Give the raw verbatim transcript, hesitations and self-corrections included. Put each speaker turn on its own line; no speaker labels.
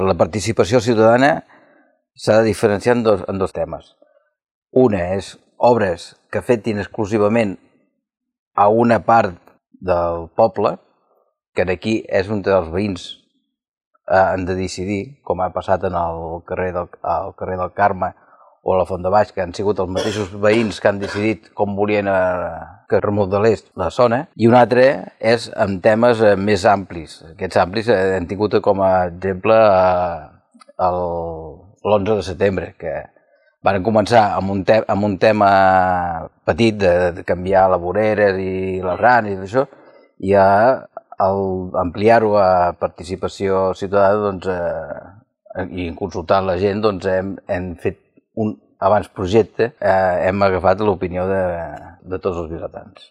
La participació ciutadana s'ha de diferenciar en dos, en dos temes. Una és obres que afectin exclusivament a una part del poble, que aquí és on els veïns eh, han de decidir, com ha passat en el carrer del, al carrer del Carme o a la Font de Baix, que han sigut els mateixos veïns que han decidit com volien eh, que remodelés la zona. I un altre és en temes eh, més amplis. Aquests amplis eh, han tingut com a exemple eh, l'onze de setembre, que van començar amb un, te amb un tema petit de, de canviar les voreres i les ranes i això, i a ampliar-ho a participació ciutadana doncs, eh, i consultar la gent, doncs, hem, hem fet un abans projecte, eh, hem agafat l'opinió de, de tots els vilatans.